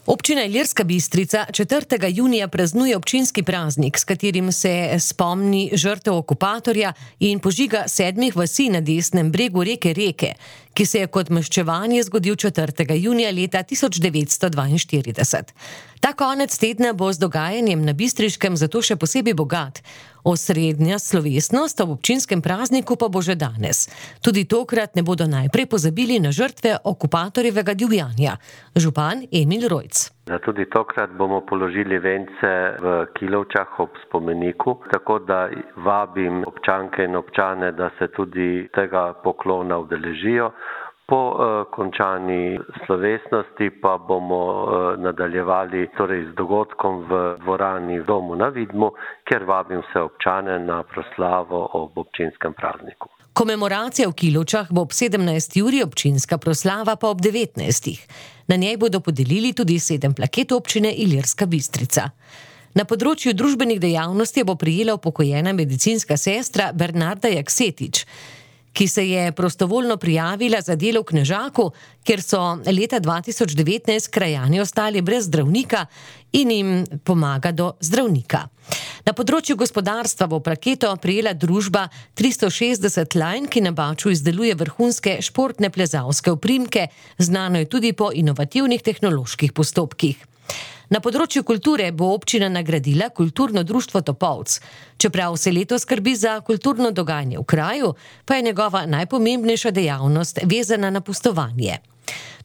Občina Ilirska Bistrica 4. junija praznuje občinski praznik, s katerim se spomni žrtev okupatorja in požiga 7 vasi na desnem bregu reke Reke, ki se je kot maščevanje zgodil 4. junija leta 1942. Ta konec tedna bo z dogajanjem na Bistriškem zato še posebej bogat. Osrednja slovesnost ob občinskem prazniku pa bo že danes. Tudi tokrat ne bodo najprej pozabili na žrtve okupatorjevega divjanja. Župan Emil Rojc. Tudi tokrat bomo položili vence v Kilovčah ob spomeniku, tako da vabim občanke in občane, da se tudi tega poklona udeležijo. Po končani slovesnosti pa bomo nadaljevali z dogodkom v dvorani v Domu na Vidmu, kjer vabim vse občane na proslavo ob občinskem prazniku. Komemoracija v Kilovčah bo ob 17. uri, občinska proslava pa ob 19. Na njej bodo podelili tudi 7 plaket občine Ilirska Bistrica. Na področju družbenih dejavnosti bo prejela upokojena medicinska sestra Bernarda Jaksetič, ki se je prostovoljno prijavila za delo v Knežaku, kjer so leta 2019 krajani ostali brez zdravnika in jim pomaga do zdravnika. Na področju gospodarstva bo plaketo prejela družba 360 Line, ki na Baču izdeluje vrhunske športne plezalske oprimke, znano je tudi po inovativnih tehnoloških postopkih. Na področju kulture bo občina nagradila Kulturno društvo Topolc. Čeprav se letos skrbi za kulturno dogajanje v kraju, pa je njegova najpomembnejša dejavnost vezana na pustovanje.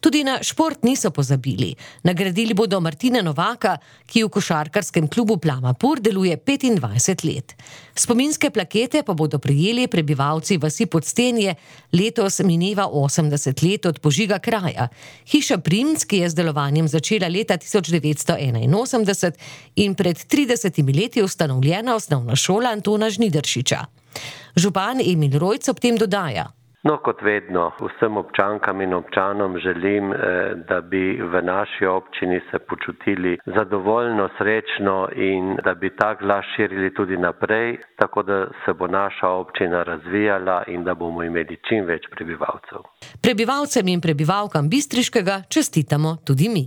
Tudi na šport niso pozabili. Nagradili bodo Martina Novaka, ki v košarkarskem klubu Plama Pur deluje 25 let. Spominske plakete pa bodo prejeli prebivalci vasi Podstenje, letos mineva 80 let od požiga kraja. Hiša Primc, ki je z delovanjem začela leta 1981 in pred 30 leti ustanovljena osnovna šola Antona Žnidaršiča. Župan Emil Rojc ob tem dodaja. Kot vedno, vsem občankam in občanom želim, da bi v naši občini se počutili zadovoljno, srečno in da bi ta glas širili tudi naprej, tako da se bo naša občina razvijala in da bomo imeli čim več prebivalcev. Prebivalcem in prebivalkam Bistriškega čestitamo tudi mi.